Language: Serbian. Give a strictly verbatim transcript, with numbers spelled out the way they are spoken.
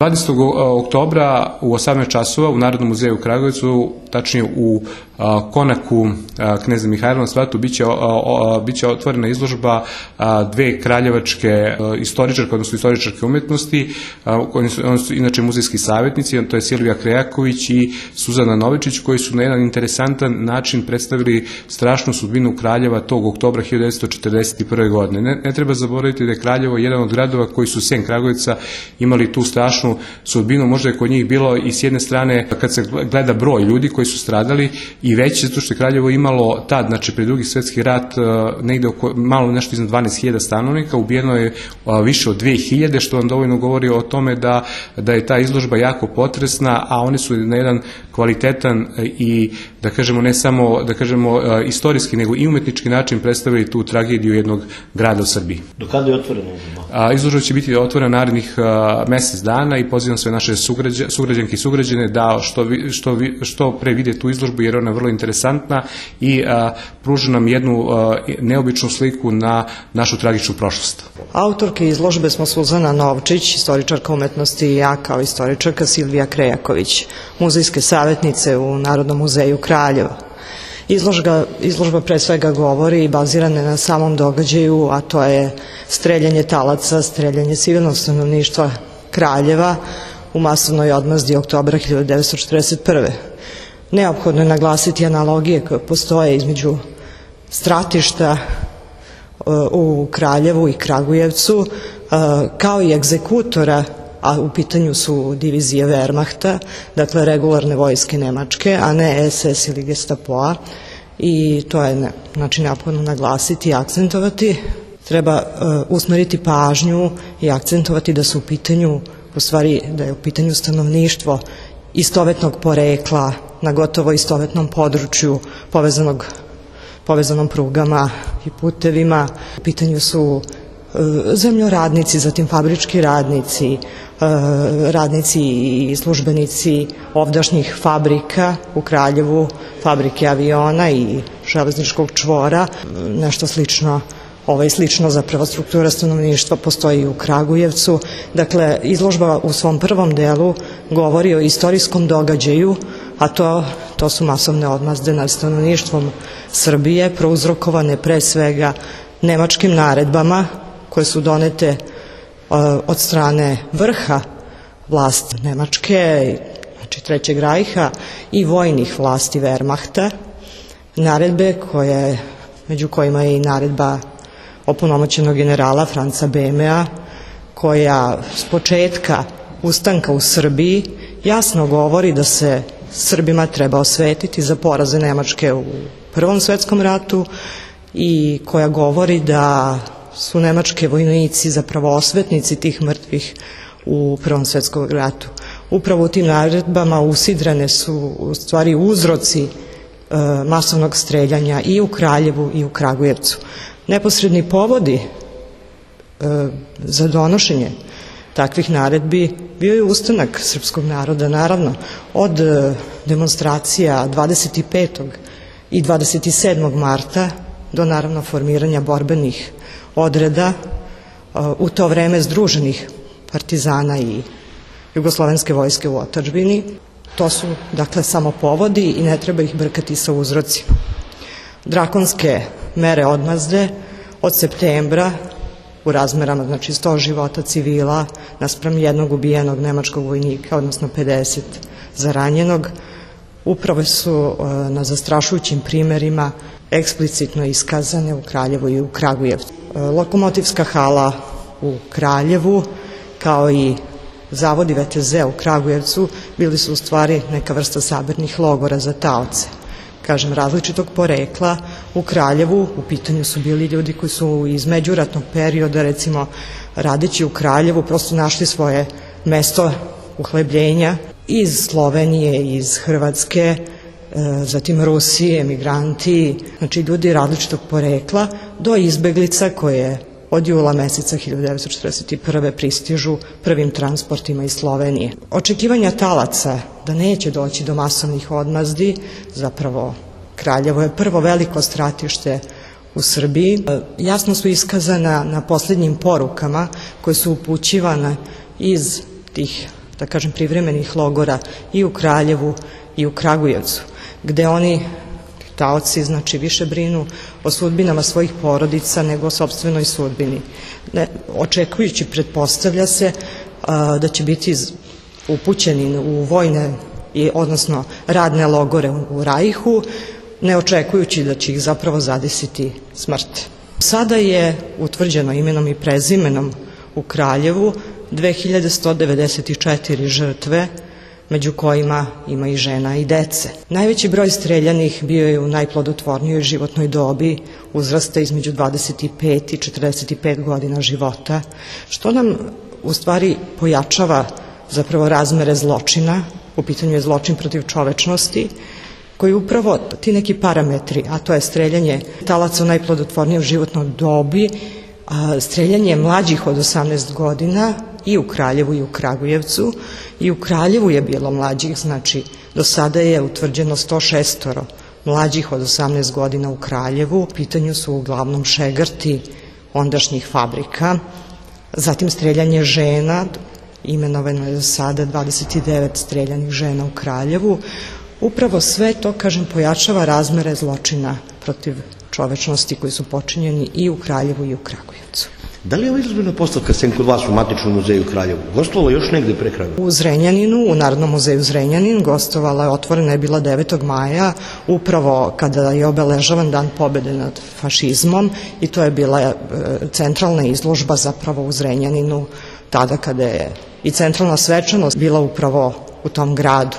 dvadesetog oktobra u osamnaest časova u Narodnom muzeju u Kragujevcu, tačnije u konaku Kneza Mihajla na Svatu, biće, biće otvorena izložba dve kraljevačke istoričarke, odnosno istoričarke umetnosti. Oni su, oni su inače muzejski savjetnici, to je Silvija Krejaković i Suzana Novičić, koji su na jedan interesantan način predstavili strašnu sudbinu Kraljeva tog oktobra hiljadu devetsto četrdeset prve. godine. Ne, ne treba zaboraviti da je Kraljevo jedan od gradova koji su sem Kragujevca imali tu strašnu sudbinu. Možda je kod njih bilo i s jedne strane, kad se gleda broj ljudi koji su stradali, i veći, zato što je Kraljevo imalo tad, znači pred Drugi svjetski rat, negde oko, malo nešto iznad dvanaest hiljada stanovnika, ubijeno je više od dve hiljade, što vam dovoljno govori o tome da, da je ta izložba jako potresna, a oni su na jedan kvalitetan i, da kažemo, ne samo, da kažemo, istorijski, nego i umetnički način predstavili tu tragediju jednog grada u Srbiji. Do kada je otvorena izložba? Izložba će biti otvorena narednih mesec dana i pozivam sve naše sugrađanke i sugrađane da što, što, što pre vide tu izložbu, jer ona je vrlo interesantna i a, pruža nam jednu a, neobičnu sliku na našu tragičnu prošlost. Autorke izložbe smo Suzana Novčić, istoričarka umetnosti, i ja kao istoričarka Silvija Krejaković, muzejske savjetnice u Narodnom muzeju Kraljeva. Izložba, izložba pre svega govori i bazirana na samom događaju, a to je streljanje talaca, streljanje civilnog stanovništva Kraljeva u masovnoj odmazdi oktobra hiljadu devetsto četrdeset prve. Neophodno je naglasiti analogije koje postoje između stratišta u Kraljevu i Kragujevcu, kao i egzekutora, a u pitanju su divizije Wehrmachta, dakle regularne vojske Nemačke, a ne es es ili Gestapoa, i to je ne, znači neophodno naglasiti i akcentovati. Treba uh, usmeriti pažnju i akcentovati da su u pitanju, u stvari da je u pitanju stanovništvo istovetnog porekla na gotovo istovetnom području povezanog, povezanom prugama i putevima. U pitanju su uh, zemljoradnici, zatim fabrički radnici, uh, radnici i službenici ovdašnjih fabrika u Kraljevu, fabrike aviona i železničkog čvora, nešto slično. Ovaj slično zapravo struktura stanovništva postoji u Kragujevcu. Dakle, izložba u svom prvom delu govori o istorijskom događaju, a to, to su masovne odmazde nad stanovništvom Srbije, prouzrokovane pre svega nemačkim naredbama koje su donete uh, od strane vrha vlasti Nemačke, znači Trećeg rajha, i vojnih vlasti Wehrmachta. Naredbe koje, među kojima je i naredba opunomoćenog generala Franca Bemea, koja s početka ustanka u Srbiji jasno govori da se Srbima treba osvetiti za poraze Nemačke u Prvom svetskom ratu i koja govori da su nemački vojnici zapravo osvetnici tih mrtvih u Prvom svetskom ratu. Upravo u tim naredbama usidrane su u stvari uzroci e, masovnog streljanja i u Kraljevu i u Kragujevcu. Neposredni povodi e, za donošenje takvih naredbi bio je ustanak srpskog naroda, naravno, od e, demonstracija dvadeset petog i dvadeset sedmog marta do naravno formiranja borbenih odreda, e, u to vreme združenih partizana i jugoslovenske vojske u otadžbini. To su, dakle, samo povodi i ne treba ih brkati sa uzrocima. Drakonske mere odmazde od septembra u razmerama, znači sto života civila naspram jednog ubijenog nemačkog vojnika, odnosno pedeset zaranjenog, upravo su na zastrašujućim primerima eksplicitno iskazane u Kraljevu i u Kragujevcu. Lokomotivska hala u Kraljevu, kao i zavodi ve te ze u Kragujevcu, bili su u stvari neka vrsta sabirnih logora za taoce, kažem, različitog porekla. U Kraljevu u pitanju su bili ljudi koji su iz međuratnog perioda, recimo radeći u Kraljevu, prosto našli svoje mesto uhlebljenja iz Slovenije, iz Hrvatske, zatim Rusije, emigranti, znači ljudi različitog porekla, do izbeglica koje od jula meseca hiljadu devetsto četrdeset prve pristižu prvim transportima iz Slovenije. Očekivanja talaca da neće doći do masovnih odmazdi, zapravo Kraljevo je prvo veliko stratište u Srbiji, jasno su iskazana na posljednjim porukama koje su upućivane iz tih da kažem, privremenih logora i u Kraljevu i u Kragujevcu, gde oni, taoci, znači više brinu o sudbinama svojih porodica nego o sopstvenoj sudbini. Ne, očekujući, pretpostavlja se a, da će biti upućeni u vojne, i, odnosno radne logore u, u Rajhu, ne očekujući da će ih zapravo zadesiti smrt. Sada je utvrđeno imenom i prezimenom u Kraljevu dve hiljade sto devedeset četiri žrtve, među kojima ima i žena i dece. Najveći broj streljanih bio je u najplodotvornijoj životnoj dobi, uzrasta između dvadeset pet i četrdeset pet godina života, što nam u stvari pojačava zapravo razmere zločina. U pitanju je zločin protiv čovečnosti, koji upravo ti neki parametri, a to je streljanje talaca u najplodotvornijoj životnoj dobi, streljanje mlađih od osamnaest godina i u Kraljevu i u Kragujevcu. I u Kraljevu je bilo mlađih, znači do sada je utvrđeno sto šest mlađih od osamnaest godina u Kraljevu. U pitanju su uglavnom šegrti ondašnjih fabrika. Zatim streljanje žena, imenovano je do sada dvadeset devet streljanih žena u Kraljevu. Upravo sve to, kažem, pojačava razmere zločina protiv čovečnosti koji su počinjeni i u Kraljevu i u Kragujevcu. Da li je ova izložbena postavka sem kod vas u Matičnom muzeju u Kraljevu gostovala još negde pre Kraljeva? U Zrenjaninu, u Narodnom muzeju Zrenjanin, gostovala je, otvorena je bila devetog maja, upravo kada je obeležavan dan pobede nad fašizmom, i to je bila centralna izložba zapravo u Zrenjaninu, tada kada je i centralna svečanost bila upravo u tom gradu.